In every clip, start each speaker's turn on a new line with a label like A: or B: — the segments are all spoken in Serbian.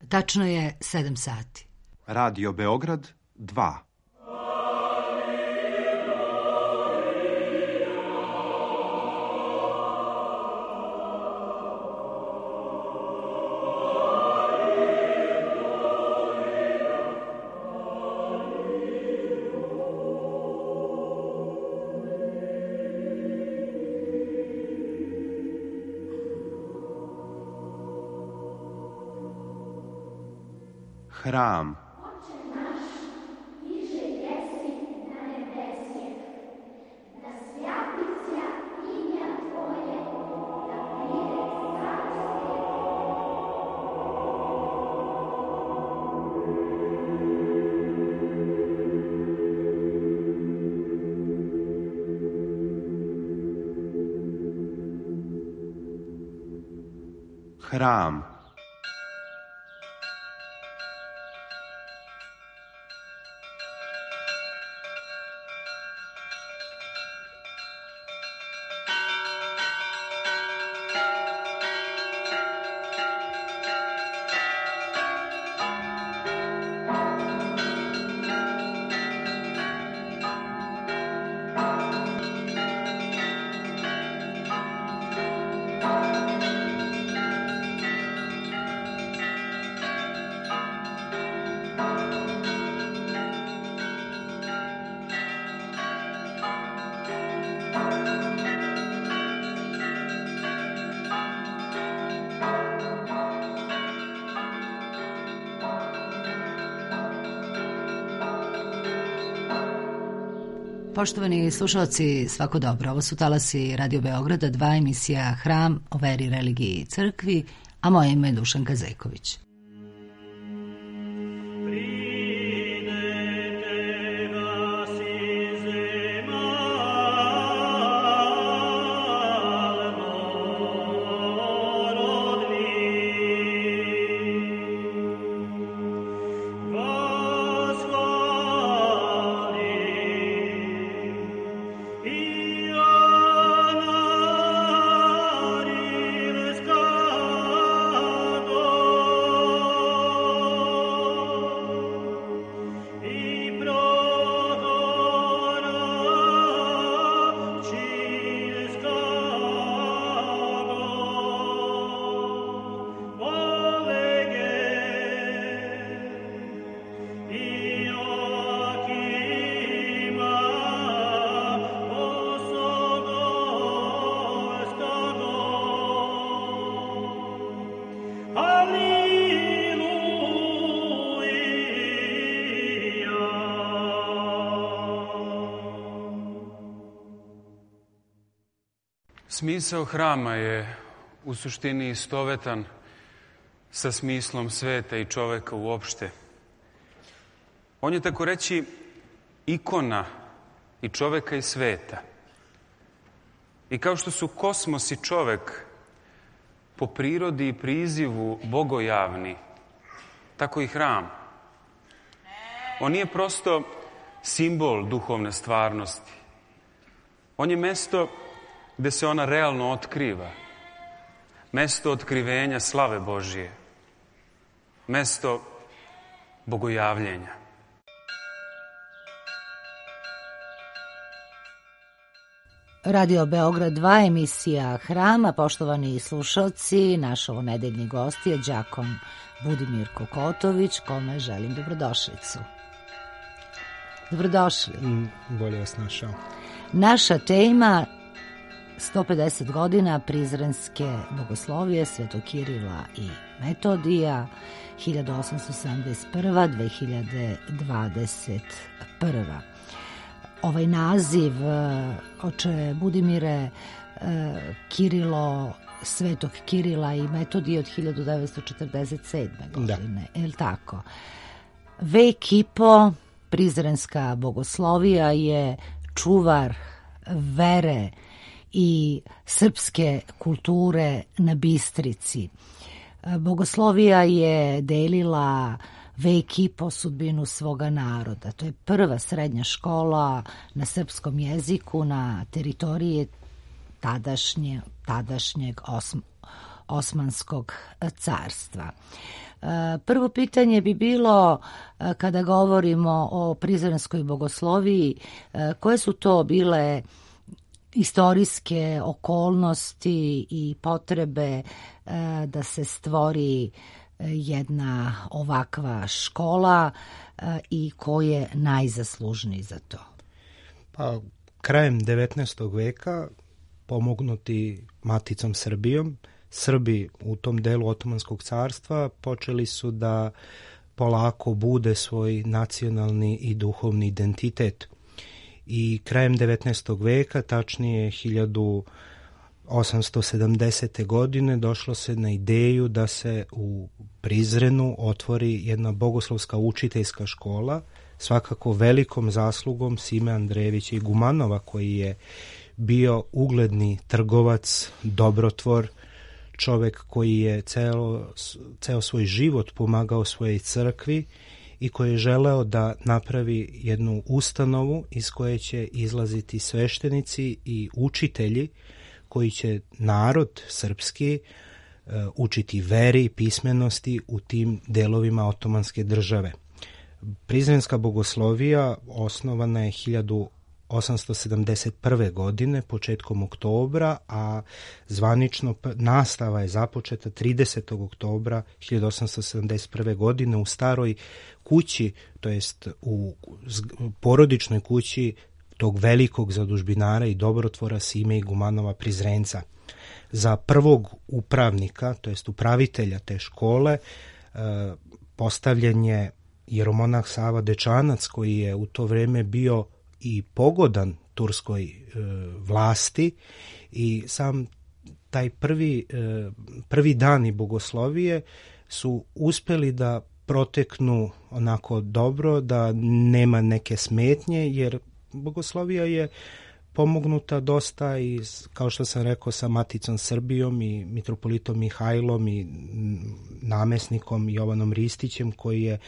A: Tačno je 7 sati.
B: Radio Beograd 2. Hram. Hram.
A: Poštovani slušalci, svako dobro. Ovo su talasi Radio Beograda 2, emisija Hram o veri, religiji i crkvi, a moje ime je Dušanka Zeković.
C: Smisao hrama je u suštini istovetan sa smislom sveta i čoveka uopšte. On je, tako reći, ikona i čoveka i sveta. I kao što su kosmos i čovek po prirodi i prizivu bogojavni, tako i hram. On nije prosto simbol duhovne stvarnosti. On je mesto gde se ona realno otkriva. Mesto otkrivenja slave Božije. Mesto bogojavljenja.
A: Radio Beograd 2, emisija Hrama. Poštovani slušalci, naš ovonedeljni gost je đakon Budimir Kokotović, kome želim dobrodošlicu. Dobrodošli.
D: Bolje vas našao.
A: Naša tema 150 godina Prizrenske bogoslovije Svetog Kirila i Metodija 1881-2021. Ovaj naziv, oče Budimire, Svetog Kirila i Metodije od 1947. godine, je li tako? Vek i po Prizrenska bogoslovija je čuvar vere i srpske kulture na Bistrici. Bogoslovija je delila vek i po sudbinu svoga naroda. To je prva srednja škola na srpskom jeziku na teritoriji tadašnjeg Osmanskog carstva. Prvo pitanje bi bilo, kada govorimo o prizrenskoj bogosloviji, koje su to bile istorijske okolnosti i potrebe da se stvori jedna ovakva škola i ko je najzaslužniji za to?
D: Pa, krajem 19. veka, pomognuti Maticom Srbijom, Srbi u tom delu Otomanskog carstva počeli su da polako bude svoj nacionalni i duhovni identitet. I krajem 19. veka, tačnije 1870. godine, došlo se na ideju da se u Prizrenu otvori jedna bogoslovska učiteljska škola, svakako velikom zaslugom Sime Andrejevića i Gumanova, koji je bio ugledni trgovac, dobrotvor, čovek koji je ceo svoj život pomagao svojoj crkvi i koji je želeo da napravi jednu ustanovu iz koje će izlaziti sveštenici i učitelji koji će narod srpski učiti veri i pismenosti u tim delovima Otomanske države. Prizrenska bogoslovija osnovana je 1871. godine, početkom oktobra, a zvanično nastava je započeta 30. oktobra 1871. godine u staroj kući, to jest u porodičnoj kući tog velikog zadužbinara i dobrotvora Sime i Gumanova Prizrenca. Za prvog upravnika, to jest upravitelja te škole, postavljen je jeromonah Sava Dečanac, koji je u to vreme bio i pogodan turskoj vlasti, i sam taj prvi dani bogoslovije su uspeli da proteknu onako dobro, da nema neke smetnje, jer bogoslovija je pomognuta dosta i, kao što sam rekao, sa Maticom Srbijom i mitropolitom Mihajlom i namesnikom Jovanom Ristićem, koji je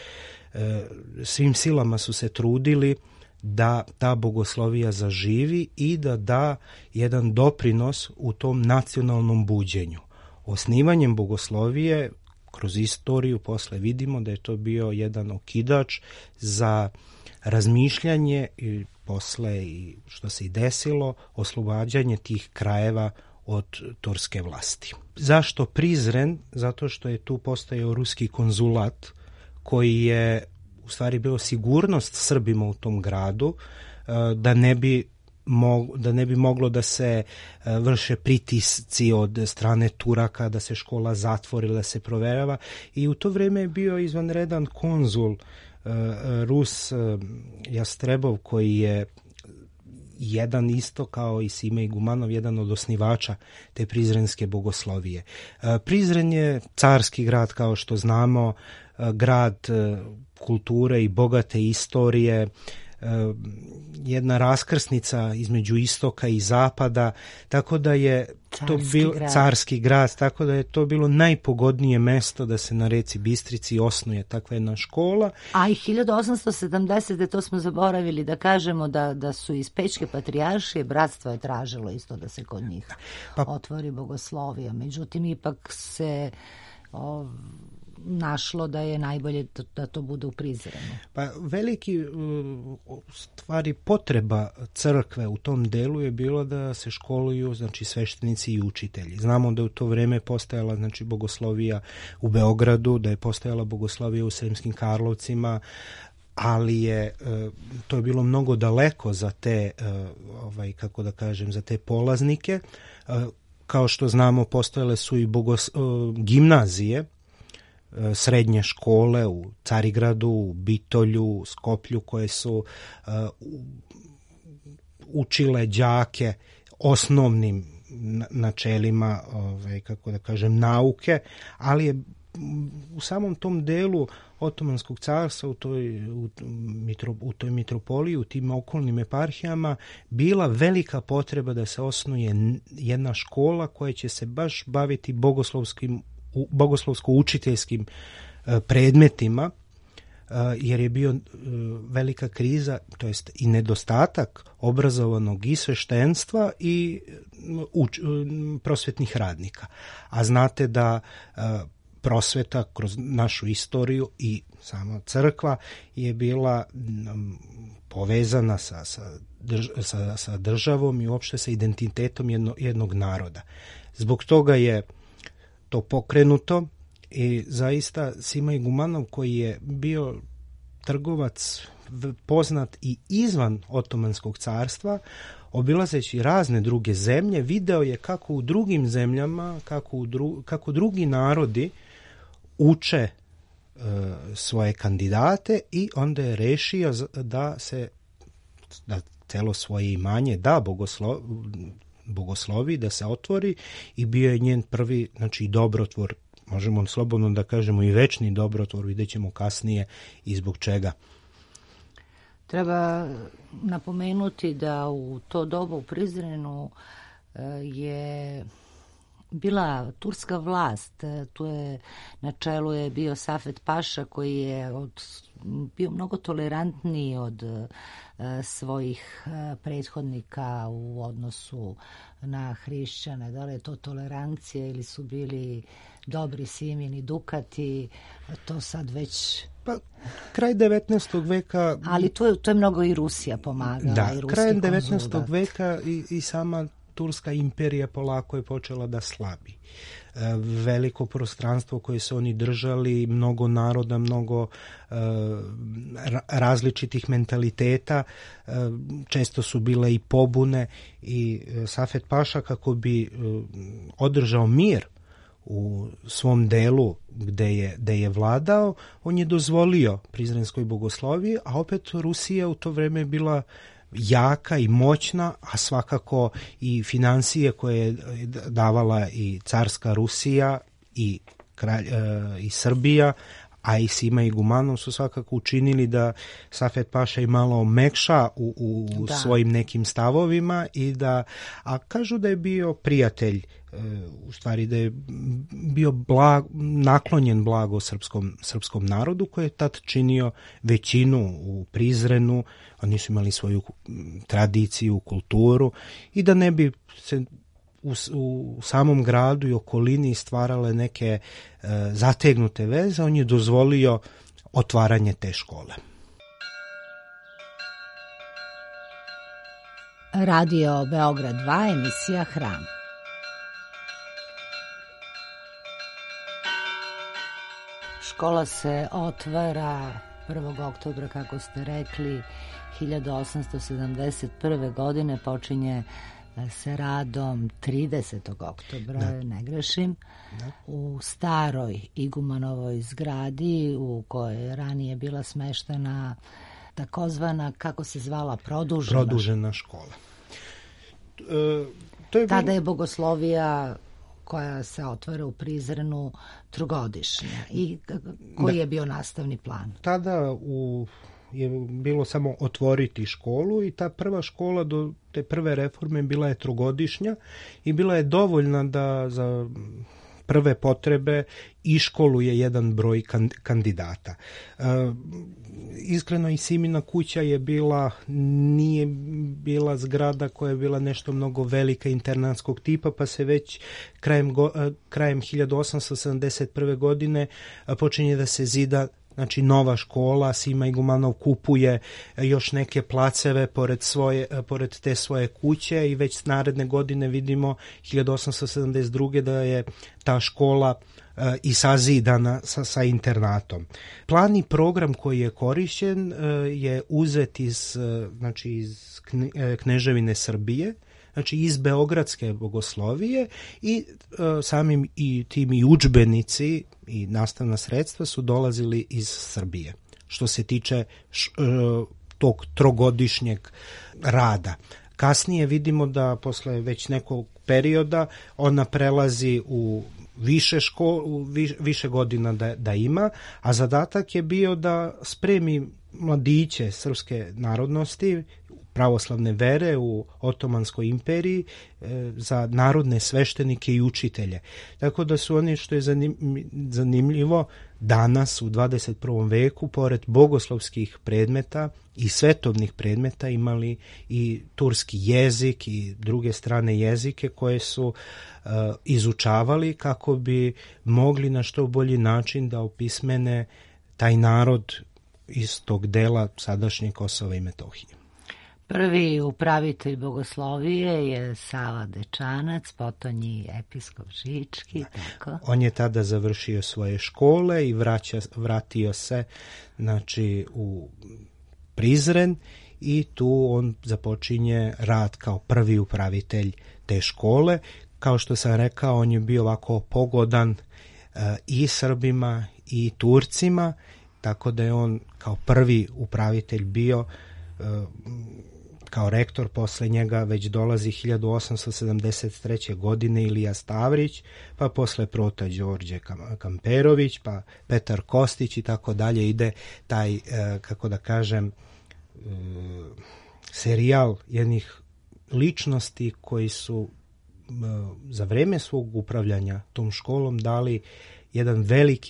D: svim silama su se trudili da ta bogoslovija zaživi i da da jedan doprinos u tom nacionalnom buđenju. Osnivanjem bogoslovije kroz istoriju posle vidimo da je to bio jedan okidač za razmišljanje i posle, i što se i desilo, oslobađanje tih krajeva od turske vlasti. Zašto Prizren? Zato što je tu postojao ruski konzulat koji je u stvari bio sigurnost Srbima u tom gradu, da ne bi moglo da se vrše pritisci od strane Turaka, da se škola zatvori, da se proverava, i u to vreme je bio izvanredan konzul Rus Jastrebov, koji je jedan isto kao i Sime i Gumanov, jedan od osnivača te prizrenske bogoslovije. Prizren je carski grad, kao što znamo, grad kulture i bogate istorije, jedna raskrsnica između istoka i zapada, tako da je to bio carski grad, tako da je to bilo najpogodnije mesto da se na reci Bistrici osnuje takva jedna škola.
A: A i 1870. to smo zaboravili da kažemo da su iz Pečke patrijaršije bratstvo je tražilo isto da se kod njih otvori bogoslovija. Međutim, ipak se našlo da je najbolje da to bude u Prizrenu.
D: Pa veliki stvari potreba crkve u tom delu je bilo da se školuju, znači, sveštenici i učitelji. Znamo da u to vreme postojala, znači, bogoslovija u Beogradu, da je postojala bogoslovija u Sremskim Karlovcima, ali je to je bilo mnogo daleko za te kako da kažem, za te polaznike. Kao što znamo, postojale su i gimnazije, srednje škole u Carigradu, u Bitolju, u Skoplju, koje su učile đake osnovnim načelima, kako da kažem, nauke, ali je u samom tom delu Otomanskog carstva, u toj mitropoliji, u tim okolnim eparhijama, bila velika potreba da se osnuje jedna škola koja će se baš baviti bogoslovsko-učiteljskim predmetima, jer je bio velika kriza, to jest i nedostatak obrazovanog i sveštenstva i prosvetnih radnika. A znate da prosveta kroz našu istoriju i sama crkva je bila povezana sa državom i uopšte sa identitetom jednog naroda. Zbog toga je to pokrenuto i zaista Sima Igumanov, koji je bio trgovac poznat i izvan Otomanskog carstva, obilazeći razne druge zemlje, video je kako u drugim zemljama, kako drugi narodi uče svoje kandidate i onda je rešio da celo svoje imanje da bogoslovi, da se otvori, i bio je njen prvi, znači, dobrotvor, možemo slobodno da kažemo i večni dobrotvor, vidjet ćemo kasnije i zbog čega.
A: Treba napomenuti da u to doba u Prizrenu je bila turska vlast. Tu je na čelu je bio Safet Paša, koji je bio mnogo tolerantniji od svojih prethodnika u odnosu na hrišćane. Da li je to tolerancija ili su bili dobri Simini Dukati, to sad već...
D: Pa, kraj 19. veka...
A: Ali to je mnogo i Rusija pomagala.
D: Da,
A: i
D: krajem 19. veka i sama Turska imperija polako je počela da slabi. Veliko prostranstvo koje su oni držali, mnogo naroda, mnogo različitih mentaliteta, često su bile i pobune, i Safet Paša, kako bi održao mir u svom delu gde je vladao, on je dozvolio prizrenskoj bogosloviji, a opet Rusija u to vreme bila jaka i moćna, a svakako i financije koje je davala i carska Rusija i Srbija, a i Sima Igumanov su svakako učinili da Safet Paša i malo omekša u svojim nekim stavovima, a kažu da je bio prijatelj, u stvari da je bio naklonjen blago srpskom narodu, koji je tad činio većinu u Prizrenu. Oni su imali svoju tradiciju, kulturu, i da ne bi se u samom gradu i okolini stvarale neke zategnute veze, on je dozvolio otvaranje te škole.
A: Radio Beograd 2, emisija Hram. Škola se otvara 1. oktobra, kako ste rekli, 1871. godine, počinje se radom 30. oktobra, ne grešim, u staroj Igumanovoj zgradi, u kojoj je ranije bila smeštena takozvana, kako se zvala, produžena škola. Tada je bogoslovija koja se otvara u Prizrenu trogodišnja. I koji je bio nastavni plan?
D: Tada je bilo samo otvoriti školu, i ta prva škola do te prve reforme bila je trogodišnja i bila je dovoljna da za prve potrebe iškoluje jedan broj kandidata. Iskreno, i Simina kuća nije bila zgrada koja je bila nešto mnogo velika, internatskog tipa, pa se već krajem 1871. godine počinje da se zida, znači, nova škola. Sima Igumanov kupuje još neke placeve pored te svoje kuće, i već naredne godine vidimo 1872. da je ta škola i sazidana sa internatom. Plan i program koji je korišćen je uzet iz Kneževine Srbije, znači iz Beogradske bogoslovije, i samim i tim i udžbenici i nastavna sredstva su dolazili iz Srbije, što se tiče tog trogodišnjeg rada. Kasnije vidimo da posle već nekog perioda ona prelazi u više godina da ima, a zadatak je bio da spremi mladiće srpske narodnosti, pravoslavne vere u Otomanskoj imperiji, za narodne sveštenike i učitelje. Tako da su oni, što je zanimljivo, danas u 21. veku pored bogoslovskih predmeta i svetovnih predmeta imali i turski jezik i druge strane jezike koje su izučavali kako bi mogli na što bolji način da opismene taj narod iz tog dela sadašnje Kosova i Metohije.
A: Prvi upravitelj bogoslovije je Sava Dečanac, potonji episkop Žički. Tako.
D: On je tada završio svoje škole i vratio se znači, u Prizren i tu on započinje rad kao prvi upravitelj te škole. Kao što sam rekao, on je bio ovako pogodan i Srbima i Turcima, tako da je on kao prvi upravitelj bio. Kao rektor posle njega već dolazi 1873. godine Ilija Stavrić, pa posle Prota Đorđe Kamperović, pa Petar Kostić i tako dalje. Ide taj, kako da kažem, serijal jednih ličnosti koji su za vreme svog upravljanja tom školom dali jedan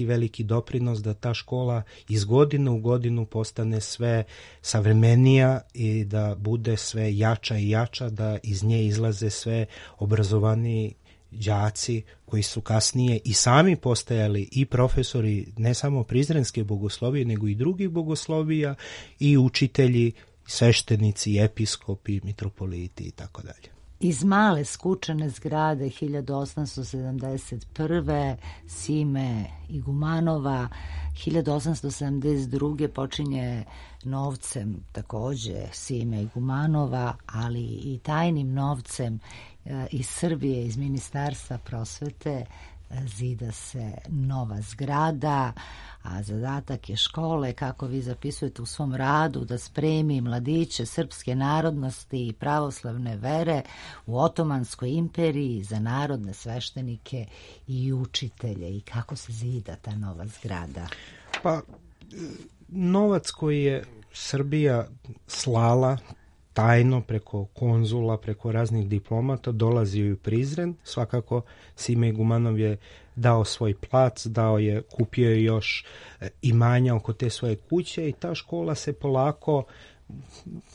D: veliki doprinos da ta škola iz godine u godinu postane sve savremenija i da bude sve jača i jača, da iz nje izlaze sve obrazovaniji đaci koji su kasnije i sami postajali i profesori ne samo prizrenske bogoslovije nego i drugih bogoslovija i učitelji, sveštenici, episkopi, mitropoliti i tako dalje.
A: Iz male skučene zgrade 1871. Sime Igumanova, 1872. počinje novcem takođe Sime Igumanova, ali i tajnim novcem iz Srbije, iz Ministarstva prosvete, zida se nova zgrada, a zadatak je škole, kako vi zapisujete u svom radu, da spremi mladiće srpske narodnosti i pravoslavne vere u Otomanskoj imperiji za narodne sveštenike i učitelje. I kako se zida ta nova zgrada?
D: Pa, novac koji je Srbija slala tajno preko konzula, preko raznih diplomata, dolazio je u Prizren. Svakako Sime Igumanov je dao svoj plac, kupio je još imanja oko te svoje kuće i ta škola se polako,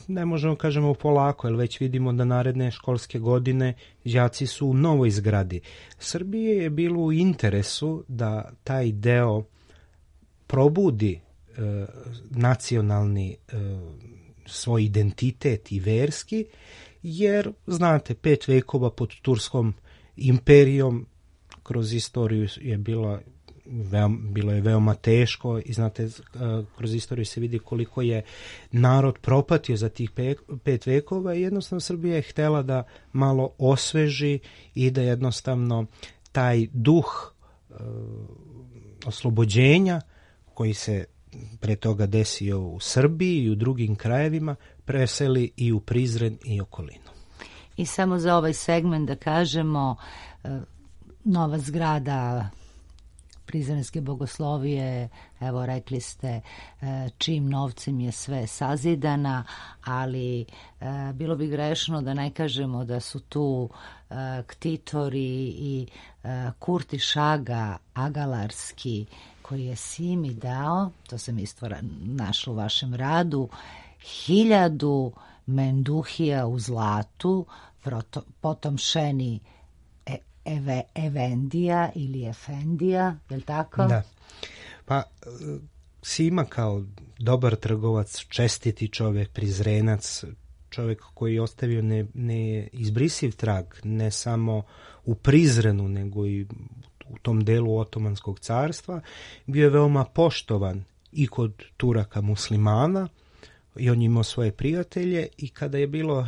D: ne možemo kažemo polako, jer već vidimo da naredne školske godine đaci su u novoj zgradi. Srbije je bilo u interesu da taj deo probudi nacionalni svoj identitet i verski, jer, znate, 5 vekova pod Turskom imperijom kroz istoriju je bilo je veoma teško i, znate, kroz istoriju se vidi koliko je narod propatio za tih 5 vekova i jednostavno Srbija je htela da malo osveži i da jednostavno taj duh oslobođenja koji se pre toga desio u Srbiji i u drugim krajevima, preseli i u Prizren i okolinu.
A: I samo za ovaj segment da kažemo, nova zgrada prizrenske bogoslovije, evo rekli ste čim novcem je sve sazidana, ali bilo bi grešno da ne kažemo da su tu ktitori i Kurti Šaga Agalarski, koji je Simi dao, to sam isto našla u vašem radu, 1000 menduhija u zlatu, potom Šeni Evendija ili Efendija, je li tako? Da.
D: Pa Sima kao dobar trgovac, čestiti čovjek, prizrenac, čovjek koji je ostavio neizbrisiv trag, ne samo u Prizrenu, nego i u tom delu Otomanskog carstva, bio je veoma poštovan i kod Turaka muslimana i on imao svoje prijatelje i kada je bilo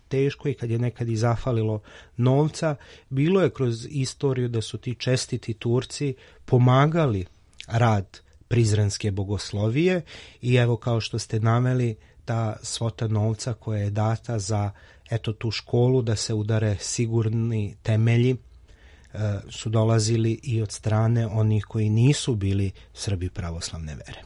D: teško i kad je nekad i zafalilo novca, bilo je kroz istoriju da su ti čestiti Turci pomagali rad prizrenske bogoslovije i evo kao što ste naveli, ta svota novca koja je data za tu školu da se udare sigurni temelji su dolazili i od strane onih koji nisu bili Srbi pravoslavne vere.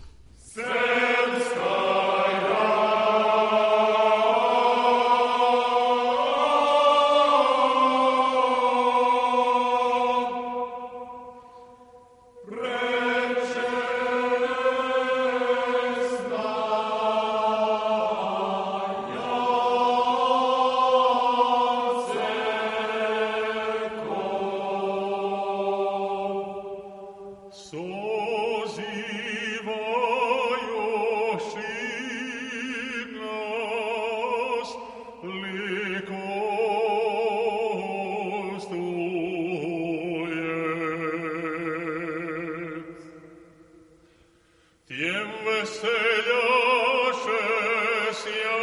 E: Tiem veseljaše sja.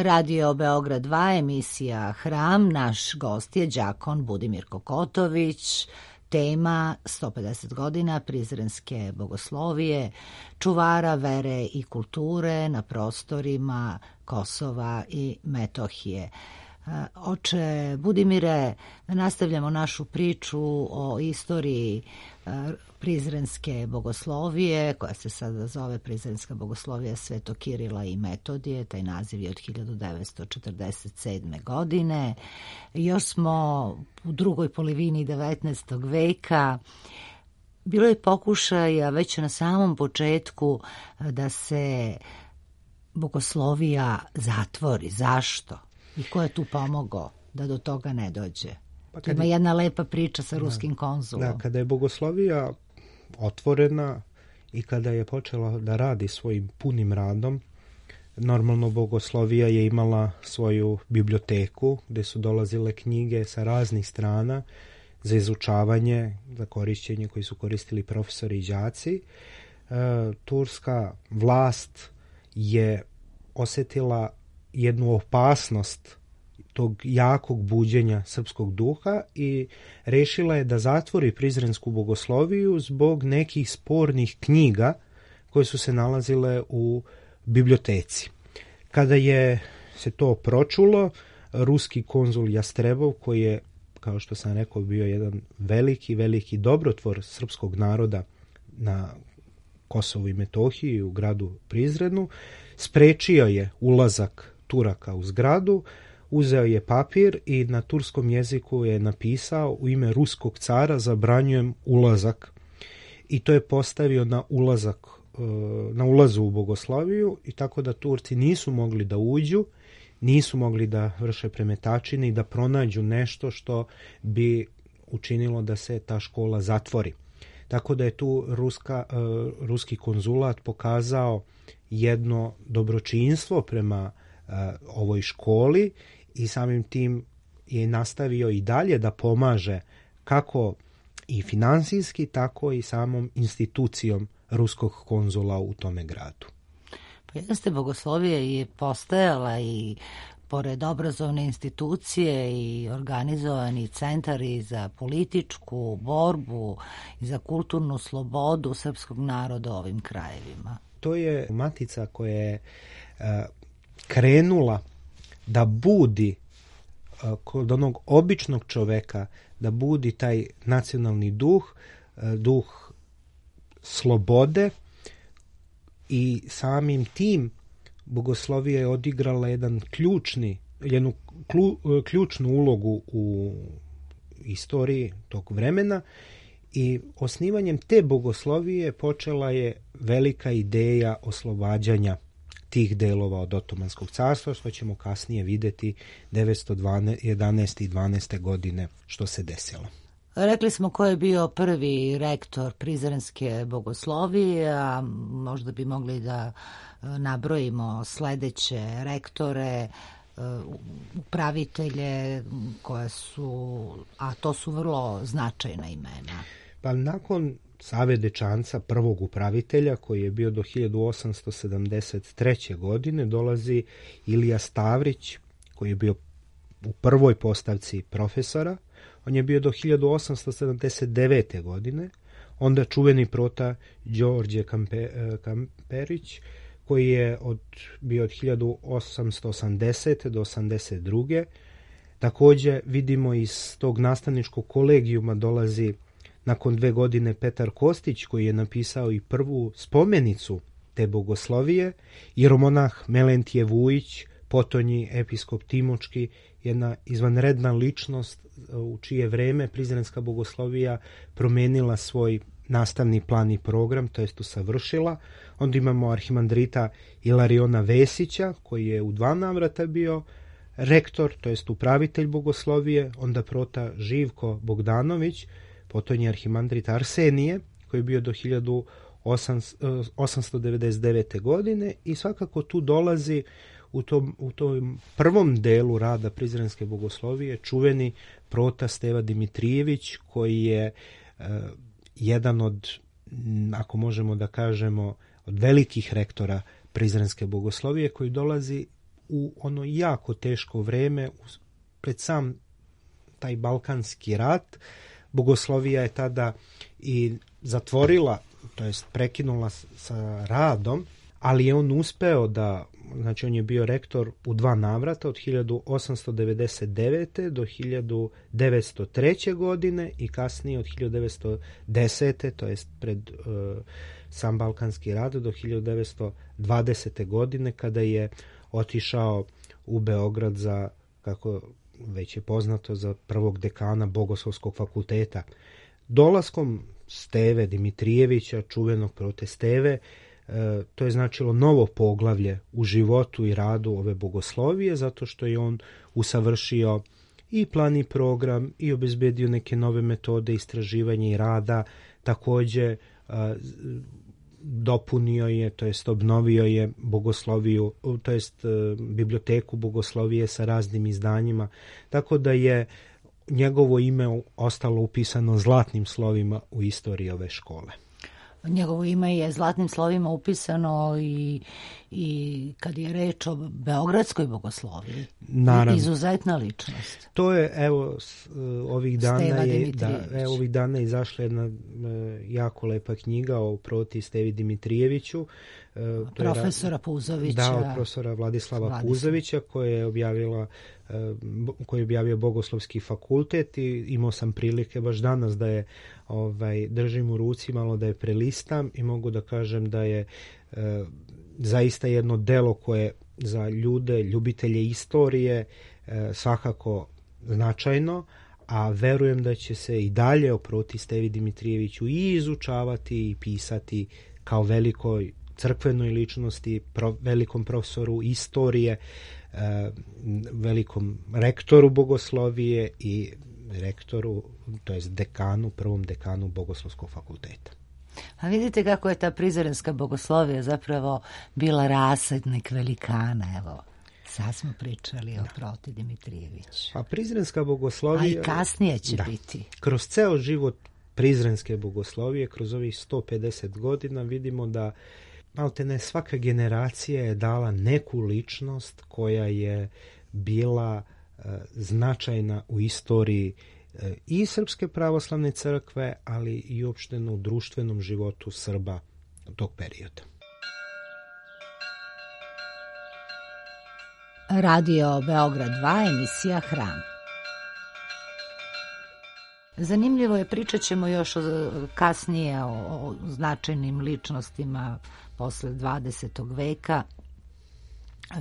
A: Radio Beograd 2, emisija Hram. Naš gost je đakon Budimir Kokotović. Tema 150 godina Prizrenske bogoslovije, čuvara vere i kulture na prostorima Kosova i Metohije. Oče Budimire, nastavljamo našu priču o istoriji Prizrenske bogoslovije, koja se sada zove Prizrenska bogoslovija Svetog Kirila i Metodije. Taj naziv je od 1947. godine. Još smo u drugoj polovini 19. veka. Bilo je pokušaja već na samom početku da se bogoslovija zatvori. Zašto? I ko je tu pomogao da do toga ne dođe? Ima jedna lepa priča sa ruskim konzulom.
D: Da, kada je bogoslovija otvorena i kada je počela da radi svojim punim radom, normalno bogoslovija je imala svoju biblioteku gde su dolazile knjige sa raznih strana za izučavanje, za korišćenje koji su koristili profesori i đaci. Turska vlast je osetila jednu opasnost tog jakog buđenja srpskog duha i rešila je da zatvori Prizrensku bogosloviju zbog nekih spornih knjiga koje su se nalazile u biblioteci. Kada je se to pročulo, ruski konzul Jastrebov, koji je, kao što sam rekao, bio jedan veliki dobrotvor srpskog naroda na Kosovu i Metohiji u gradu Prizrenu, sprečio je ulazak Turaka u zgradu, uzeo je papir i na turskom jeziku je napisao: u ime ruskog cara zabranjujem ulazak. I to je postavio na ulazu u bogosloviju, i tako da Turci nisu mogli da uđu, nisu mogli da vrše premetačine i da pronađu nešto što bi učinilo da se ta škola zatvori. Tako da je tu ruski konzulat pokazao jedno dobročinstvo prema ovoj školi i samim tim je nastavio i dalje da pomaže kako i finansijski, tako i samom institucijom ruskog konzula u tome gradu.
A: Pa jeste, bogoslovija je postajala i pored obrazovne institucije i organizovani centari za političku borbu i za kulturnu slobodu srpskog naroda u ovim krajevima.
D: To je matica koja je krenula da budi kod onog običnog čoveka, da budi taj nacionalni duh, duh slobode, i samim tim bogoslovija je odigrala jednu ključnu ulogu u istoriji tog vremena, i osnivanjem te bogoslovije počela je velika ideja oslobađanja tih delova od Otomanskog carstva, što ćemo kasnije vidjeti 911. i 12. godine što se desilo.
A: Rekli smo ko je bio prvi rektor Prizrenske bogoslovije, a možda bi mogli da nabrojimo sledeće rektore, upravitelje koje su, a to su vrlo značajna imena.
D: Pa nakon Save Dečanca, prvog upravitelja, koji je bio do 1873. godine, dolazi Ilija Stavrić, koji je bio u prvoj postavci profesora. On je bio do 1879. godine. Onda čuveni prota Đorđe Kamperić, koji je bio od 1880. do 82. Također vidimo iz tog nastavničkog kolegijuma dolazi nakon 2 godine Petar Kostić, koji je napisao i prvu spomenicu te bogoslovije, jeromonah Melentije Vujić, potonji episkop Timočki, jedna izvanredna ličnost u čije vreme Prizrenska bogoslovija promenila svoj nastavni plan i program, to jest usavršila. Onda imamo arhimandrita Ilariona Vesića, koji je u 2 navrata bio rektor, to jest upravitelj bogoslovije. Onda prota Živko Bogdanović, potonji arhimandrit Arsenije, koji je bio do 1899. godine, i svakako tu dolazi u tom prvom delu rada Prizrenske bogoslovije čuveni prota Steva Dimitrijević, koji je jedan od, ako možemo da kažemo, od velikih rektora Prizrenske bogoslovije, koji dolazi u ono jako teško vreme pred sam taj Balkanski rat. Bogoslovija je tada i zatvorila, to jest prekinula sa radom, ali je on uspeo da, znači on je bio rektor u 2 navrata od 1899. do 1903. godine i kasnije od 1910. to jest pred sam Balkanski rat do 1920. godine, kada je otišao u Beograd za, kako već je poznato, za prvog dekana Bogoslovskog fakulteta. Dolaskom Steve Dimitrijevića, čuvenog prote Steve, to je značilo novo poglavlje u životu i radu ove bogoslovije, zato što je on usavršio i plan i program i obezbedio neke nove metode istraživanja i rada. Također dopunio je, to jest obnovio je bogosloviju, to jest biblioteku bogoslovije sa raznim izdanjima, tako da je njegovo ime ostalo upisano zlatnim slovima u istoriji ove škole.
A: Njegovo ime je zlatnim slovima upisano i kad je reč o beogradskoj bogosloviji. Naravno. Izuzetna ličnost.
D: To je, evo, ovih dana je izašla jedna jako lepa knjiga o proti Stevi Dimitrijeviću.
A: Profesora Puzovića.
D: Da, od profesora Vladislava Puzovića, koji je objavio Bogoslovski fakultet, i imao sam prilike baš danas da je držim u ruci, malo da je prelistam, i mogu da kažem da je zaista jedno delo koje za ljude, ljubitelje istorije, svakako značajno, a verujem da će se i dalje o proti Stevi Dimitrijeviću i izučavati i pisati kao velikoj crkvenoj ličnosti, velikom profesoru istorije, velikom rektoru bogoslovije i rektoru, to jest dekanu, prvom dekanu Bogoslovskog fakulteta.
A: A vidite kako je ta prizrenska bogoslovija zapravo bila rasadnik velikana, evo. Sad smo pričali o proti Dimitrijević.
D: A prizrenska bogoslovija...
A: A i kasnije će biti.
D: Kroz ceo život prizrenske bogoslovije, kroz ovih 150 godina, vidimo da maltene svaka generacija je dala neku ličnost koja je bila značajna u istoriji i Srpske pravoslavne crkve, ali i uopšteno u društvenom životu Srba tog perioda.
A: Radio Beograd 2, emisija Hram. Zanimljivo je, pričat ćemo još kasnije o značajnim ličnostima posle 20. veka.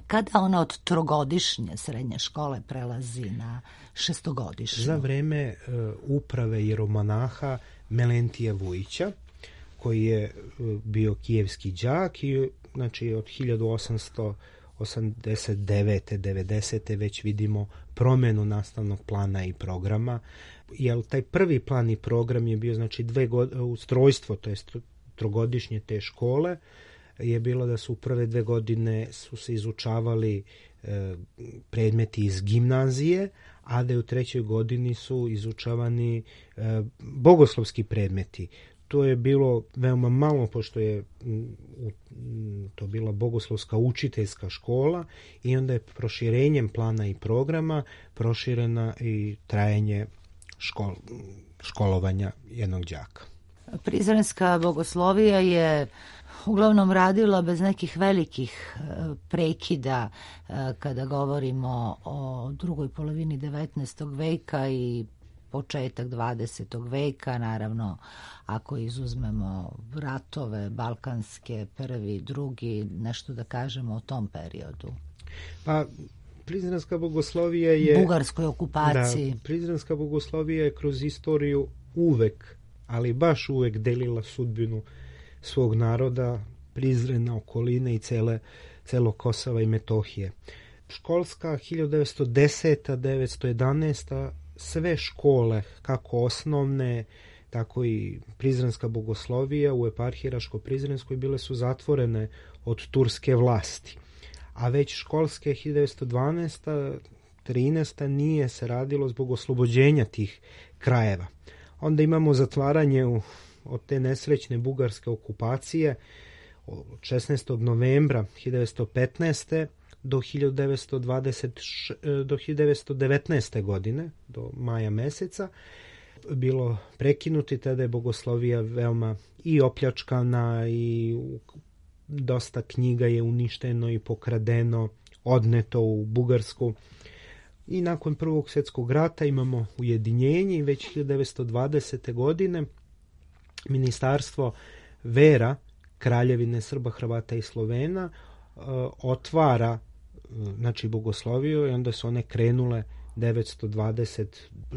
A: Kada ona od trogodišnje srednje škole prelazi na šestogodišnju?
D: Za vreme uprave jeromonaha Melentija Vujića, koji je bio kijevski đak i znači od 1889. 90. već vidimo promenu nastavnog plana i programa, jer taj prvi plan i program je bio znači ustrojstvo, to je trogodišnje te škole, je bilo da su u prve 2 godine su se izučavali predmeti iz gimnazije, a da u 3. godini su izučavani bogoslovski predmeti. To je bilo veoma malo, pošto je to bila bogoslovska učiteljska škola i onda je proširenjem plana i programa proširena i trajanje školovanja jednog đaka.
A: Prizrenska bogoslovija je uglavnom radila bez nekih velikih prekida kada govorimo o drugoj polovini 19. veka i početak 20. veka, naravno ako izuzmemo ratove balkanske, prvi, drugi, nešto da kažemo o tom periodu.
D: Pa prizrenska bogoslovija je...
A: Bugarskoj okupaciji.
D: Da, prizrenska bogoslovija je kroz istoriju uvek, ali baš uvek delila sudbinu svog naroda, Prizrena, okoline i celo Kosova i Metohije. Školska 1910-1911 sve škole, kako osnovne, tako i prizrenska bogoslovija u eparhiji Raško-Prizrenskoj bile su zatvorene od turske vlasti. A već školske 1912-13 nije se radilo zbog oslobođenja tih krajeva. Onda imamo zatvaranje od te nesrećne bugarske okupacije od 16. novembra 1915. do 1919. godine, do maja meseca, bilo prekinuti, tada je bogoslovija veoma i opljačkana i dosta knjiga je uništeno i pokradeno, odneto u Bugarsku. I nakon Prvog svjetskog rata imamo ujedinjenje i već 1920. godine Ministarstvo vera Kraljevine Srba, Hrvata i Slovena otvara znači bogosloviju i onda su one krenule 920,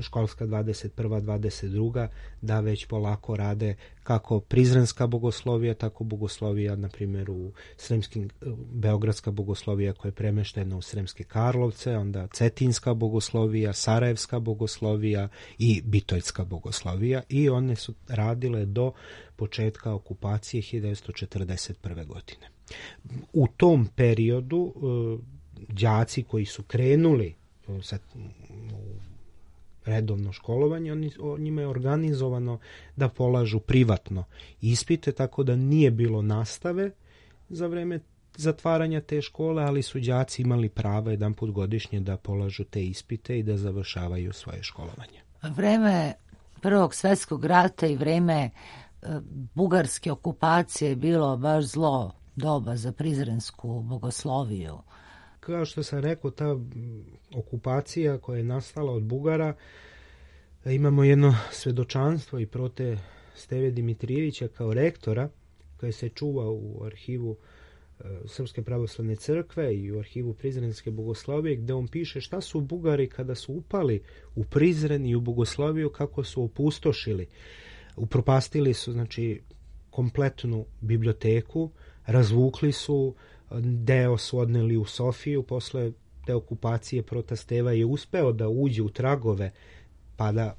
D: školska 21. 22. da već polako rade kako prizrenska bogoslovija, tako bogoslovija, na primjer u Sremskim, beogradska bogoslovija koja je premeštena u Sremske Karlovce, onda cetinska bogoslovija, sarajevska bogoslovija i bitoljska bogoslovija i one su radile do početka okupacije 1941. godine. U tom periodu đaci koji su krenuli sa redovno školovanje, njima je organizovano da polažu privatno ispite, tako da nije bilo nastave za vreme zatvaranja te škole, ali su đaci imali pravo jedanput godišnje da polažu te ispite i da završavaju svoje školovanje.
A: Vreme Prvog svjetskog rata i vreme bugarske okupacije je bilo baš zlo doba za prizrensku bogosloviju.
D: Kao što sam rekao, ta okupacija koja je nastala od Bugara, imamo jedno svedočanstvo i prote Steve Dimitrijevića kao rektora, koje se čuva u arhivu Srpske pravoslavne crkve i u arhivu Prizrenske bogoslovije, gde on piše šta su Bugari kada su upali u Prizren i u bogosloviju, kako su opustošili. Upropastili su znači kompletnu biblioteku, razvukli su, deo su odneli u Sofiju, posle te okupacije prota Steva je uspeo da uđe u tragove pa da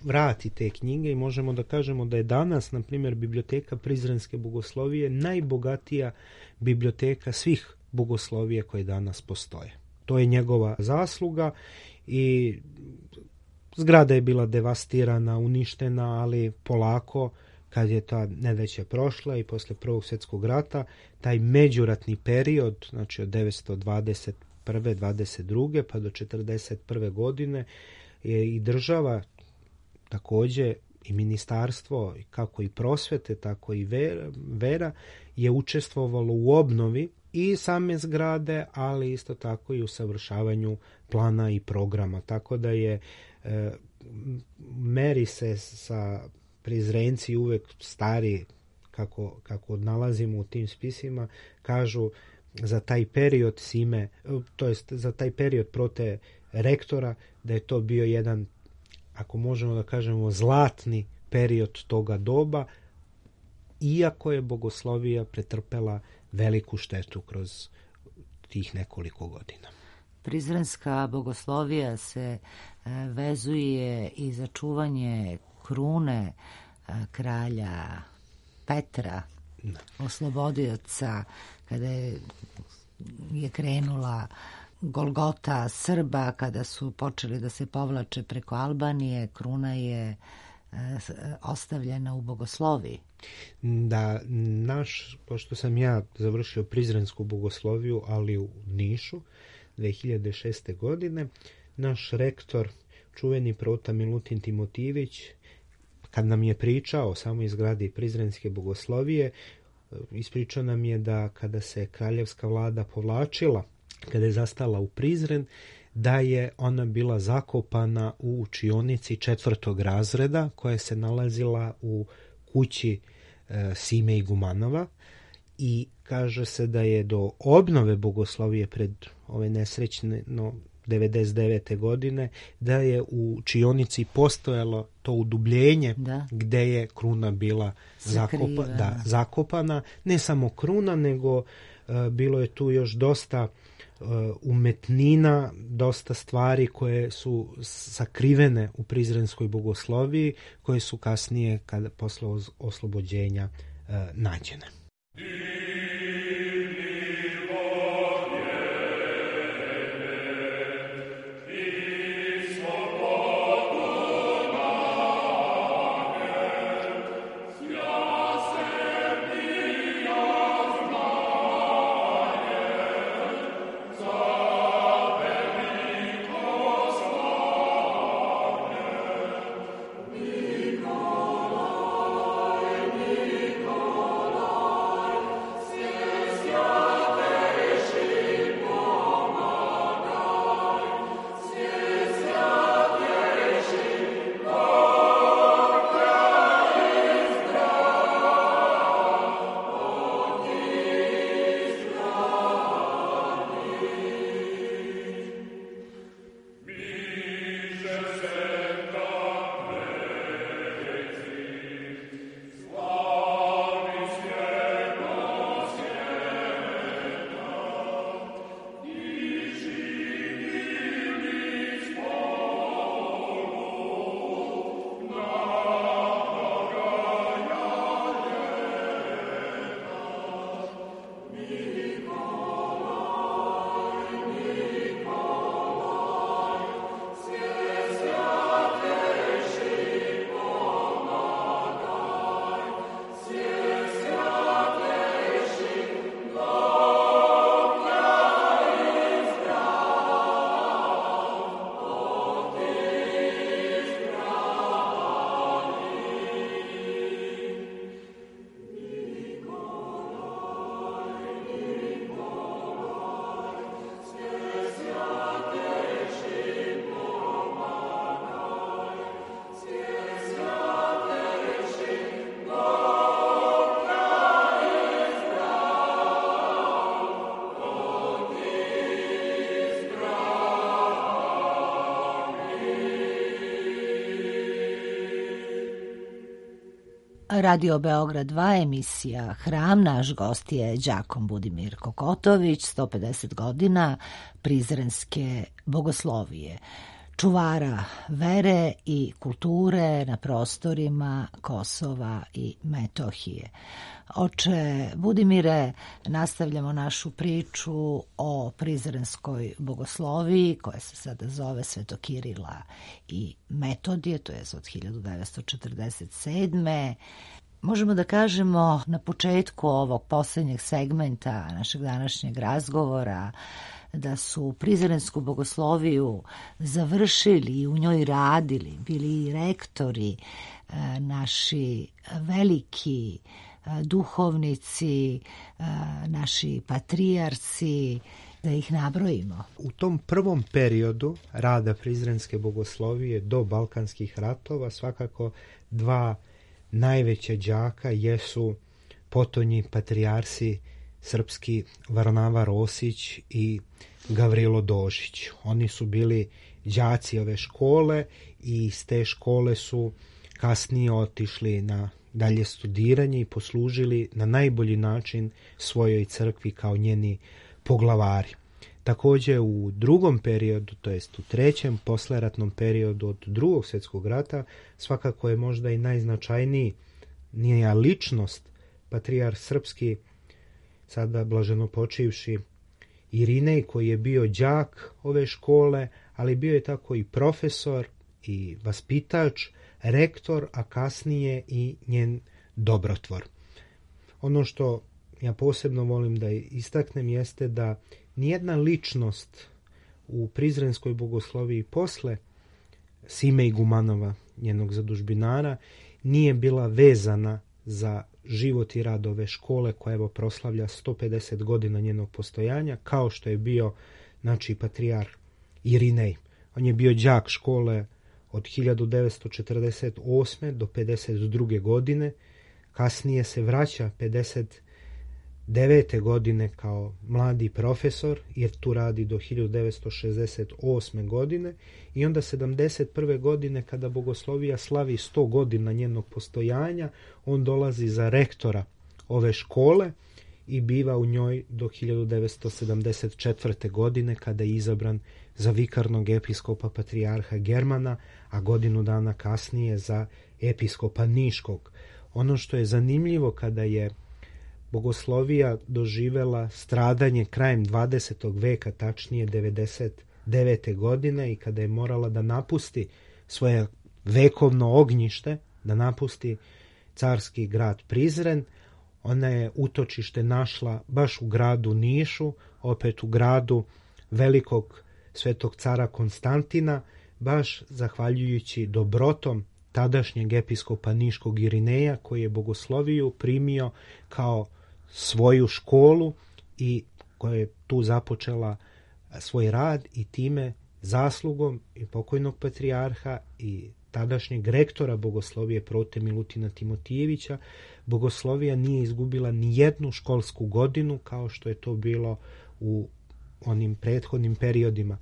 D: vrati te knjige i možemo da kažemo da je danas, na primjer, biblioteka Prizrenske bogoslovije najbogatija biblioteka svih bogoslovija koje danas postoje. To je njegova zasluga i zgrada je bila devastirana, uništena, ali polako kad je ta nedaća prošla i posle Prvog svjetskog rata, taj međuratni period, znači od 921. 22. pa do 41. godine je i država također i ministarstvo, kako i prosvete, tako i vera je učestvovalo u obnovi i same zgrade, ali isto tako i u savršavanju plana i programa. Tako da je meri se sa Prizrenci uvek stari, kako nalazimo u tim spisima, kažu za taj period Sime, to jest za taj period prote rektora, da je to bio jedan, ako možemo da kažemo, zlatni period toga doba, iako je bogoslovija pretrpela veliku štetu kroz tih nekoliko godina.
A: Prizrenska bogoslovija se vezuje i za čuvanje krune kralja Petra, oslobodioca, kada je krenula Golgota Srba, kada su počeli da se povlače preko Albanije, kruna je ostavljena u bogosloviji.
D: Da, pošto sam ja završio prizrensku bogosloviju, ali u Nišu, 2006. godine, naš rektor, čuveni prota Milutin Timotijević, kad nam je pričao o samoj izgradi prizrenske bogoslovije, ispričao nam je da kada se kraljevska vlada povlačila, kada je zastala u Prizren, da je ona bila zakopana u učionici 4. razreda koja se nalazila u kući Sime Igumanova, i kaže se da je do obnove bogoslovije pred ove nesrećne 99. godine, da je u učionici postojalo to udubljenje gde je kruna bila zakopana. Ne samo kruna, nego bilo je tu još dosta umetnina, dosta stvari koje su sakrivene u prizrenskoj bogosloviji, koje su kasnije, posle oslobođenja, nađene.
A: Radio Beograd 2, emisija Hram. Naš gost je đakon Budimir Kokotović, 150 godina prizrenske bogoslovije, čuvara vere i kulture na prostorima Kosova i Metohije. Oče Budimire, nastavljamo našu priču o prizrenskoj bogosloviji, koja se sada zove Svetokirila i Metodije, to je od 1947. Možemo da kažemo na početku ovog posljednjeg segmenta našeg današnjeg razgovora da su Prizrensku bogosloviju završili i u njoj radili, bili i rektori, naši veliki duhovnici, naši patrijarci, da ih nabrojimo.
D: U tom prvom periodu rada Prizrenske bogoslovije do Balkanskih ratova svakako dva najveća đaka jesu potonji patrijarsi srpski Varnava Rosić i Gavrilo Dožić. Oni su bili đaci ove škole i iz te škole su kasnije otišli na dalje studiranje i poslužili na najbolji način svojoj crkvi kao njeni poglavari. Također u drugom periodu, to jest u trećem posleratnom periodu od Drugog svjetskog rata, svakako je možda i najznačajnija ličnost patrijarh srpski, sada blaženo počivši Irinej, koji je bio đak ove škole, ali bio je tako i profesor i vaspitač, rektor, a kasnije i njen dobrotvor. Ono što ja posebno volim da istaknem jeste da nijedna ličnost u Prizrenskoj bogosloviji posle Sime Igumanova, njenog zadužbinara, nije bila vezana za život i rad ove škole koja evo proslavlja 150 godina njenog postojanja, kao što je bio patrijarh Irinej. On je bio đak škole od 1948. do 52. godine, kasnije se vraća 59. godine kao mladi profesor, jer tu radi do 1968. godine, i onda 71. godine kada bogoslovija slavi 100 godina njenog postojanja, on dolazi za rektora ove škole i biva u njoj do 1974. godine kada je izabran za vikarnog episkopa patrijarha Germana, a godinu dana kasnije za episkopa Niškog. Ono što je zanimljivo, kada je bogoslovija doživela stradanje krajem 20. veka, tačnije 99. godine, i kada je morala da napusti svoje vekovno ognjište, da napusti carski grad Prizren, ona je utočište našla baš u gradu Nišu, opet u gradu velikog svetog cara Konstantina, baš zahvaljujući dobrotom tadašnjeg episkopa Niškog Irineja, koji je bogosloviju primio kao svoju školu i koja je tu započela svoj rad, i time zaslugom i pokojnog patrijarha i tadašnjeg rektora bogoslovije Prote Milutina Timotijevića, bogoslovija nije izgubila ni jednu školsku godinu kao što je to bilo u onim prethodnim periodima.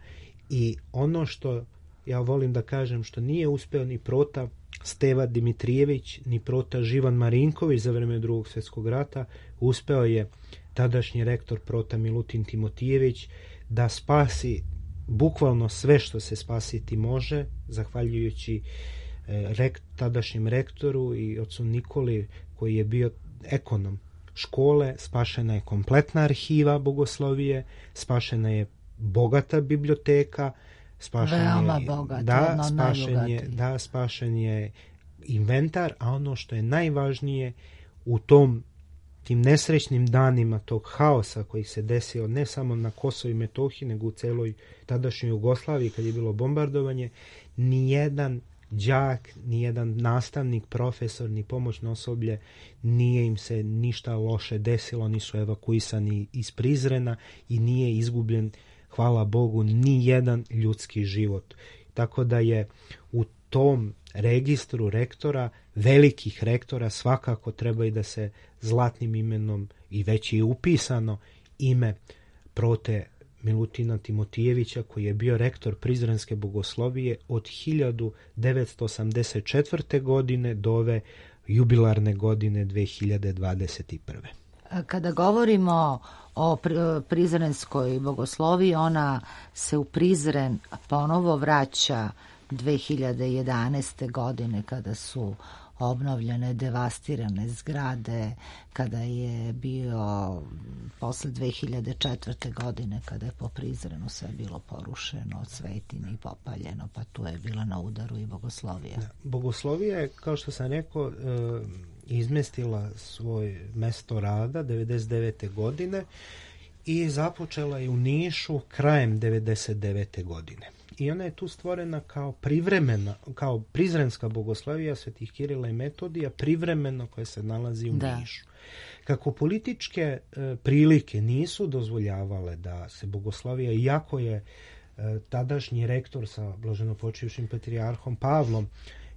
D: I ono što ja volim da kažem, što nije uspeo ni Prota Steva Dimitrijević, ni Prota Živan Marinković za vreme Drugog svjetskog rata, uspeo je tadašnji rektor Prota Milutin Timotijević da spasi bukvalno sve što se spasiti može, zahvaljujući tadašnjem rektoru i ocu Nikoli, koji je bio ekonom škole. Spašena je kompletna arhiva bogoslovije, spašena je bogata biblioteka, spašen je inventar, a ono što je najvažnije u tim nesrećnim danima tog haosa koji se desio ne samo na Kosovu i Metohiji, nego u celoj tadašnjoj Jugoslaviji kad je bilo bombardovanje, nijedan đak, nijedan nastavnik, profesor, ni pomoćno osoblje nije im se ništa loše desilo, oni su evakuisani iz Prizrena i nije izgubljen, hvala Bogu, ni jedan ljudski život. Tako da je u tom registru rektora, velikih rektora, svakako treba i da se zlatnim imenom, i već je upisano ime Prote Milutina Timotijevića, koji je bio rektor Prizrenske bogoslovije od 1984. godine do ove jubilarne godine 2021.
A: Kada govorimo o Prizrenskoj bogosloviji, ona se u Prizren ponovo vraća 2011. godine kada su obnovljene devastirane zgrade, kada je bio posle 2004. godine kada je po Prizrenu sve bilo porušeno od svetinja i popaljeno, pa tu je bila na udaru i bogoslovija.
D: Bogoslovija je, kao što sam rekao, izmestila svoj mesto rada 99. godine i započela je u Nišu krajem 99. godine. I ona je tu stvorena kao privremena, kao prizrenska bogoslovija Svetih Kirila i Metodija, privremeno koja se nalazi u Nišu. Kako političke prilike nisu dozvoljavale da se bogoslovija, iako je tadašnji rektor sa blaženopočivšim patrijarhom Pavlom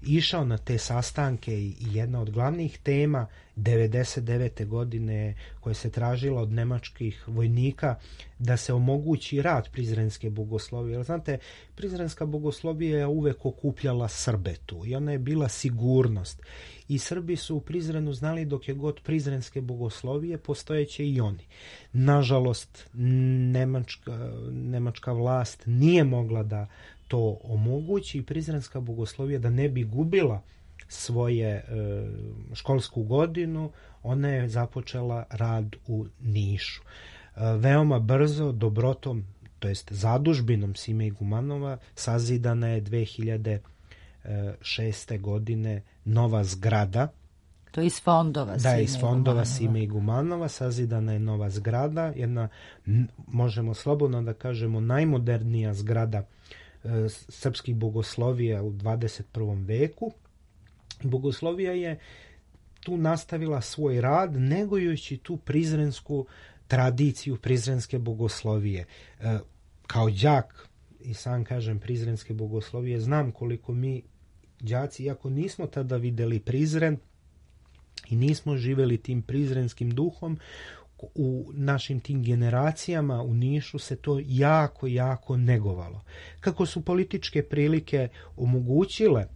D: išao na te sastanke i jedna od glavnih tema 99. godine koja se tražila od nemačkih vojnika da se omogući rad prizrenske bogoslovije. Jer znate, prizrenska bogoslovija je uvek okupljala Srbe tu i ona je bila sigurnost. I Srbi su u Prizrenu znali dok je god prizrenske bogoslovije postojeće i oni. Nažalost, nemačka vlast nije mogla da to omogući i prizrenska bogoslovija da ne bi gubila svoje školsku godinu, ona je započela rad u Nišu. Veoma brzo dobrotom, to jest zadužbinom Sime Igumanova, sazidana je 2006. godine nova zgrada.
A: To je iz fondova Sime Igumanova.
D: Da, iz fondova Sime Igumanova sazidana je nova zgrada, jedna, možemo slobodno da kažemo, najmodernija zgrada srpskih bogoslovija u 21. veku. Bogoslovija je tu nastavila svoj rad negujući tu prizrensku tradiciju prizrenske bogoslovije. Kao đak, i sam kažem, prizrenske bogoslovije, znam koliko mi đaci, iako nismo tada videli Prizren i nismo živeli tim prizrenskim duhom, u našim tim generacijama u Nišu se to jako, jako negovalo. Kako su političke prilike omogućile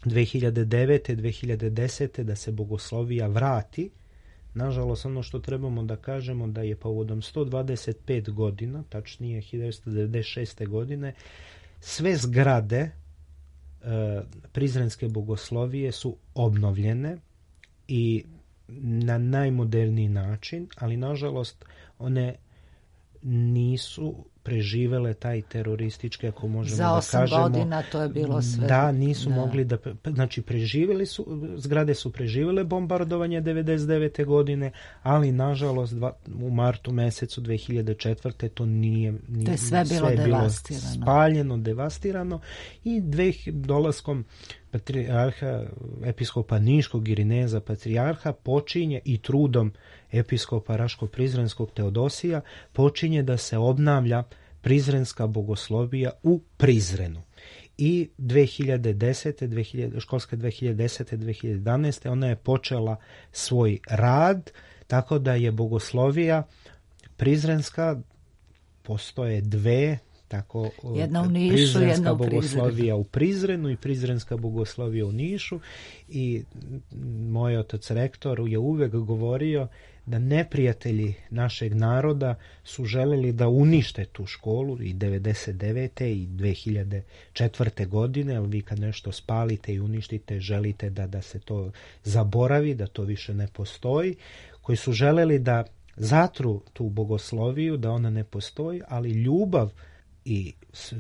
D: 2009. 2010. da se bogoslovija vrati, nažalost ono što trebamo da kažemo da je povodom 125 godina, tačnije 1996. godine, sve zgrade prizrenske bogoslovije su obnovljene i na najmoderniji način, ali nažalost one nisu preživele taj teroristički, ako možemo da kažemo.
A: Za 8 godina to je bilo sve.
D: Da, nisu mogli da, znači preživjeli su, zgrade su preživele bombardovanje 99. godine, ali nažalost u martu mesecu 2004. to nije,
A: to je sve bilo devastirano.
D: Spaljeno, devastirano i dolaskom patrijarha, episkopa Niškog Irineza patrijarha počinje i trudom episkopa Raško-Prizrenskog Teodosija počinje da se obnavlja prizrenska bogoslovija u Prizrenu. I 2010. školske 2010-2011. ona je počela svoj rad, tako da je bogoslovija prizrenska, postoje dve, tako,
A: jedna u Nišu,
D: prizrenska
A: jedna u
D: bogoslovija u Prizrenu i prizrenska bogoslovija u Nišu. I moj otac rektor je uvek govorio da neprijatelji našeg naroda su želeli da unište tu školu i 99. i 2004. godine, ali vi kad nešto spalite i uništite, želite da se to zaboravi, da to više ne postoji, koji su želeli da zatru tu bogosloviju, da ona ne postoji, ali ljubav i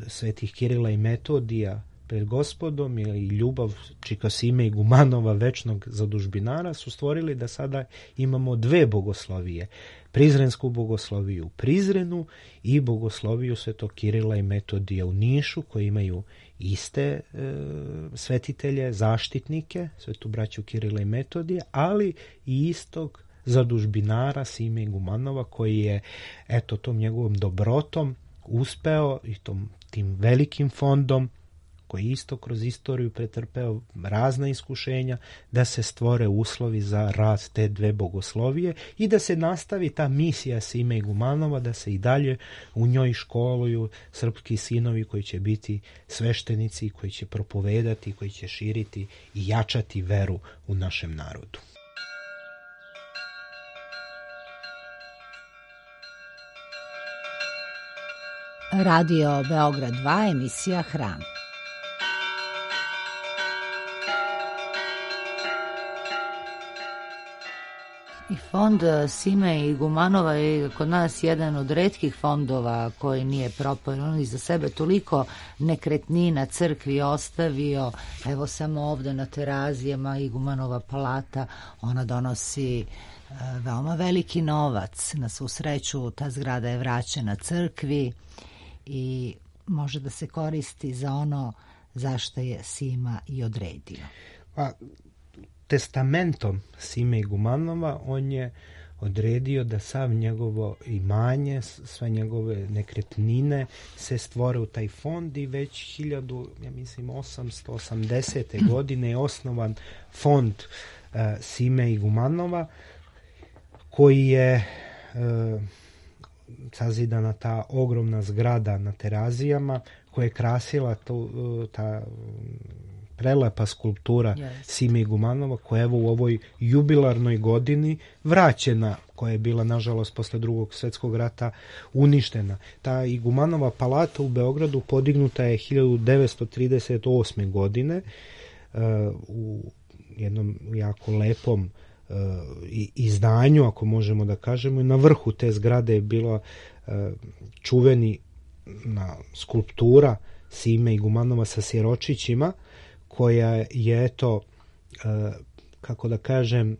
D: svetih Kirila i Metodija pred Gospodom ili ljubav čika Sime Igumanova, večnog zadužbinara, su stvorili da sada imamo dve bogoslovije. Prizrensku bogosloviju u Prizrenu i bogosloviju svetog Kirila i Metodija u Nišu, koji imaju iste svetitelje, zaštitnike, svetu braću Kirila i Metodija, ali i istog zadužbinara Sime Igumanova, koji je tom njegovom dobrotom uspeo i tim velikim fondom koji isto kroz istoriju pretrpeo razna iskušenja, da se stvore uslovi za rad te dve bogoslovije i da se nastavi ta misija Sime Igumanova, da se i dalje u njoj školuju srpski sinovi koji će biti sveštenici, koji će propovedati, koji će širiti i jačati veru u našem narodu.
A: Radio Beograd 2, emisija Hram. I fond Sime Igumanova je kod nas jedan od retkih fondova koji nije propao. On iza sebe toliko nekretnina crkvi ostavio. Evo samo ovde na Terazijama Igumanova palata, ona donosi veoma veliki novac. Na svu sreću ta zgrada je vraćena crkvi i može da se koristi za ono zašto je Sima i odredio.
D: Testamentom Sime Igumanova on je odredio da sav njegovo imanje, sve njegove nekretnine se stvore u taj fond i već 1880. godine je osnovan fond Sime Igumanova koji je sazidana ta ogromna zgrada na Terazijama koja je krasila ta prelepa skulptura Sime Igumanova koja je evo u ovoj jubilarnoj godini vraćena, koja je bila nažalost posle Drugog svjetskog rata uništena. Ta Igumanova palata u Beogradu podignuta je 1938. godine u jednom jako lepom izdanju, ako možemo da kažemo, i na vrhu te zgrade je bila čuveni skulptura Sime Igumanova sa siročićima, koja je, eto, kako da kažem,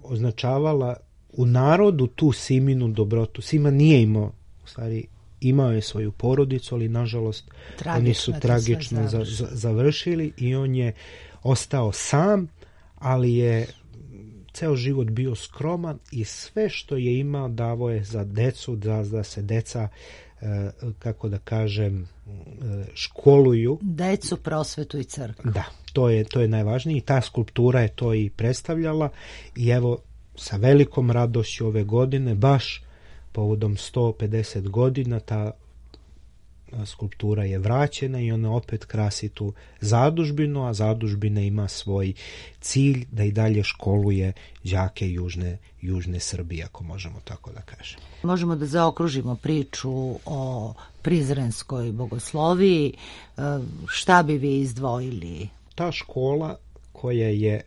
D: označavala u narodu tu Siminu dobrotu. Sima nije imao, u stvari, imao je svoju porodicu, ali nažalost oni su tragično završili i on je ostao sam, ali je ceo život bio skroman i sve što je imao davo je za decu, da se deca, kako da kažem, školuju.
A: Decu, prosvetu i crkvu.
D: Da, to je najvažnije i ta skulptura je to i predstavljala i evo sa velikom radošću ove godine, baš povodom 150 godina, ta skulptura je vraćena i ona opet krasi tu zadužbinu, a zadužbina ima svoj cilj da i dalje školuje đake južne Srbije, ako možemo tako da kažemo.
A: Možemo da zaokružimo priču o Prizrenskoj bogosloviji. Šta bi vi izdvojili?
D: Ta škola koja je,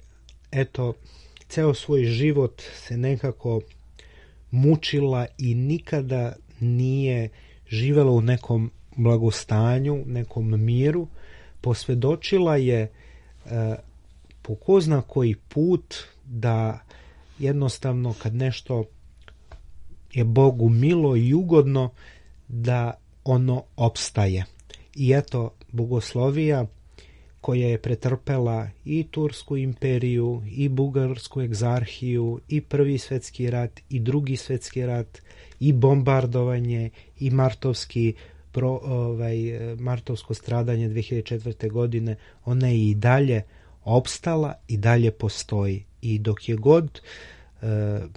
D: eto, ceo svoj život se nekako mučila i nikada nije živela u nekom blagostanju, nekom miru, posvedočila je po ko zna koji put da jednostavno kad nešto je Bogu milo i ugodno da ono opstaje. I eto, bogoslovija koja je pretrpela i Tursku imperiju, i Bugarsku egzarhiju, i Prvi svjetski rat, i Drugi svjetski rat, i bombardovanje, i martovsko stradanje 2004. godine, ona je i dalje opstala i dalje postoji. I dok je god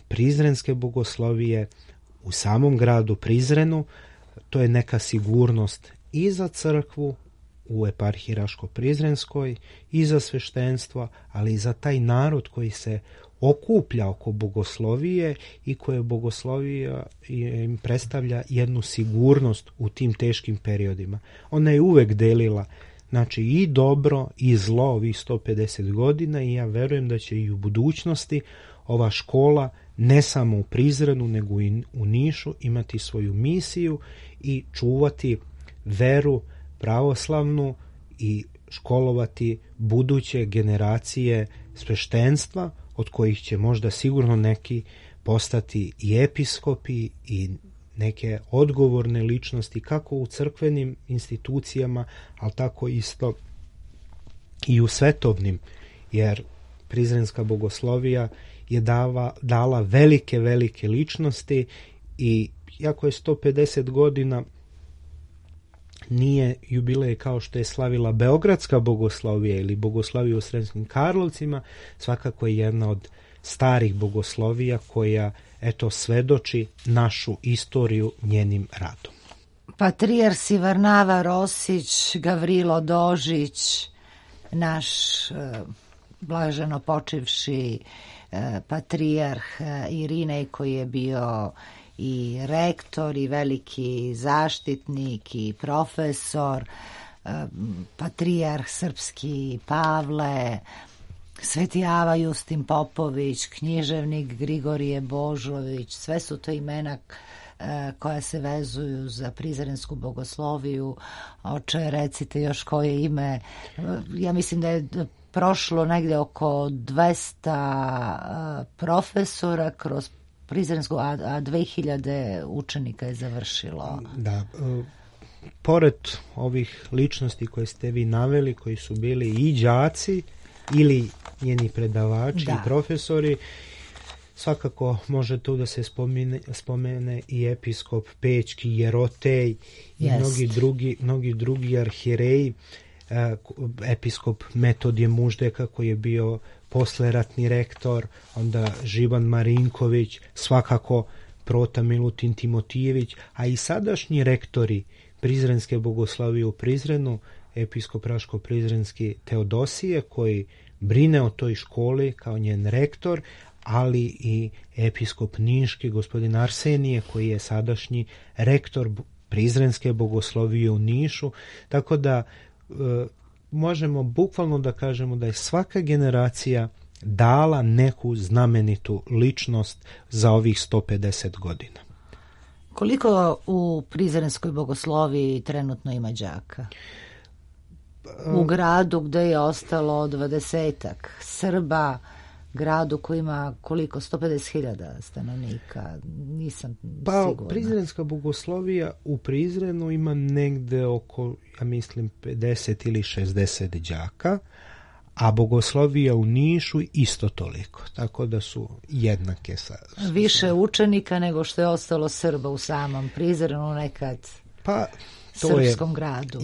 D: prizrenske bogoslovije u samom gradu Prizrenu, to je neka sigurnost i za crkvu u eparhiji Raško-Prizrenskoj, i za sveštenstvo, ali i za taj narod koji se okuplja oko bogoslovije i koje bogoslovija im predstavlja jednu sigurnost u tim teškim periodima. Ona je uvek delila, znači, i dobro i zlo ovih 150 godina i ja verujem da će i u budućnosti ova škola ne samo u Prizrenu nego i u Nišu imati svoju misiju i čuvati veru pravoslavnu i školovati buduće generacije sveštenstva, od kojih će možda sigurno neki postati i episkopi i neke odgovorne ličnosti kako u crkvenim institucijama, ali tako isto i u svetovnim, jer prizrenska bogoslovija je dala velike ličnosti i iako je 150 godina nije jubilej kao što je slavila Beogradska bogoslovija ili bogoslovija u Sremskim Karlovcima, svakako je jedna od starih bogoslovija koja, eto, svedoči našu istoriju njenim radom.
A: Patrijarsi Varnava Rosić, Gavrilo Dožić, naš blaženo počivši patrijarh Irinej koji je bio i rektor i veliki zaštitnik i profesor, patrijarh srpski Pavle, Sveti Ava Justin Popović, književnik Grigorije Božović, sve su to imena koja se vezuju za Prizrensku bogosloviju. Oče, recite još koje ime. Ja mislim da je prošlo negde oko 200 profesora kroz Prizrensku, a 2000 učenika je završilo.
D: Da, pored ovih ličnosti koje ste vi naveli, koji su bili i đaci ili njeni predavači i profesori, svakako može tu da se spomene i episkop Pećki, Jerotej i mnogi drugi arhijereji, episkop Metodije Muždeka koji je bio posleratni rektor, onda Živan Marinković, svakako Prota Milutin Timotijević, a i sadašnji rektori Prizrenske bogoslovije u Prizrenu, episkop Raško-Prizrenski Teodosije koji brine o toj školi kao njen rektor, ali i episkop Niški gospodin Arsenije koji je sadašnji rektor Prizrenske bogoslovije u Nišu, tako da možemo bukvalno da kažemo da je svaka generacija dala neku znamenitu ličnost za ovih 150 godina.
A: Koliko u Prizrenskoj bogosloviji trenutno ima đaka? U gradu gde je ostalo 20-ak Srba, gradu koji ima koliko? 150.000 stanovnika, nisam sigurna.
D: Prizrenska bogoslovija u Prizrenu ima negde oko, ja mislim, 50 ili 60 đaka, a bogoslovija u Nišu isto toliko, tako da su jednake
A: više učenika nego što je ostalo Srba u samom Prizrenu nekad srpskom gradu.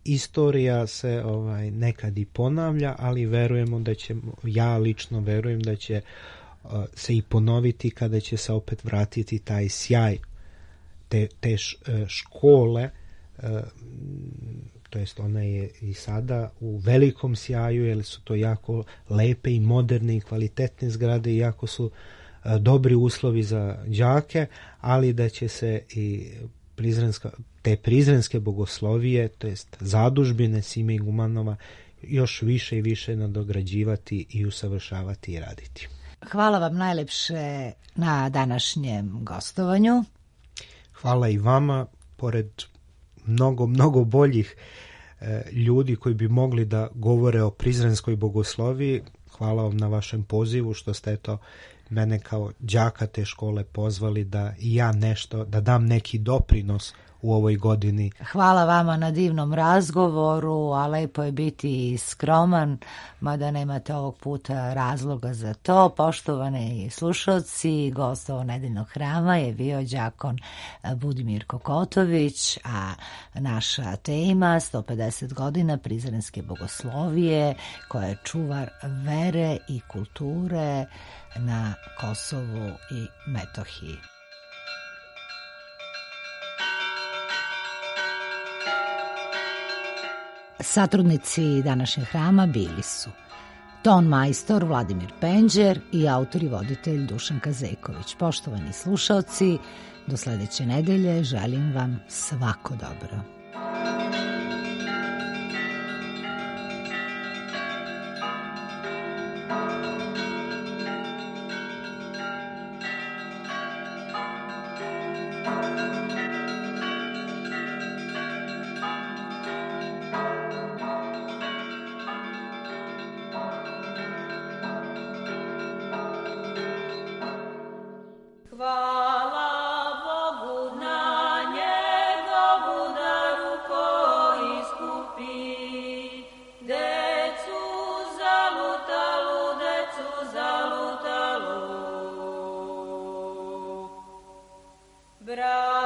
D: Istorija se nekad i ponavlja, ali verujemo da će, ja lično verujem da će se i ponoviti kada će se opet vratiti taj sjaj te škole, to jest ona je i sada u velikom sjaju, jer su to jako lepe i moderne i kvalitetne zgrade i jako su dobri uslovi za đake, ali da će se i te prizrenske bogoslovije, to jest zadužbine Sime Igumanova, još više i više nadograđivati i usavršavati i raditi.
A: Hvala vam najlepše na današnjem gostovanju.
D: Hvala i vama, pored mnogo boljih ljudi koji bi mogli da govore o prizrenskoj bogosloviji. Hvala vam na vašem pozivu što ste mene kao đaka te škole pozvali da i ja nešto, da dam neki doprinos u ovoj godini.
A: Hvala vama na divnom razgovoru, a lepo je biti skroman, mada nemate ovog puta razloga za to. Poštovani slušalci, gost ovog nedeljnog hrama je bio đakon Budimir Kokotović, a naša tema 150 godina Prizrenske bogoslovije, koja je čuvar vere i kulture na Kosovu i Metohiji. Satrudnici današnjeg hrama bili su ton majstor Vladimir Penđer i autor i voditelj Dušan Kazeković. Poštovani slušaoci, do sledeće nedelje želim vam svako dobro.
E: Bra